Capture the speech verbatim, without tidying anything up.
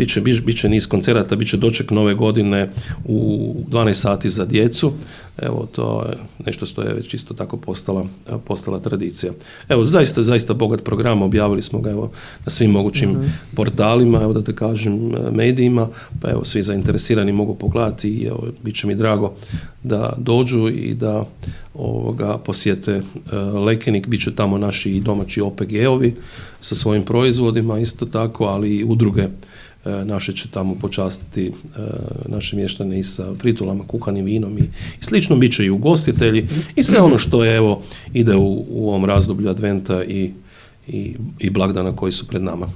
Biće, biće niz koncerata, biće doček nove godine u dvanaest sati za djecu. Evo, to je nešto što je već isto tako postala, postala tradicija. Evo, zaista, zaista bogat program, objavili smo ga evo na svim mogućim mm-hmm. portalima, evo da te kažem, medijima, pa evo, svi zainteresirani mogu pogledati i evo, bit će mi drago da dođu i da ovoga posjete uh, Lekenik, bit će tamo naši i domaći O P G-ovi sa svojim proizvodima isto tako, ali i udruge naše će tamo počastiti naše mještane i sa fritulama, kuhanim vinom i, i slično, bit će i ugostitelji i sve ono što je evo ide u, u ovom razdoblju adventa i, i, i blagdana koji su pred nama.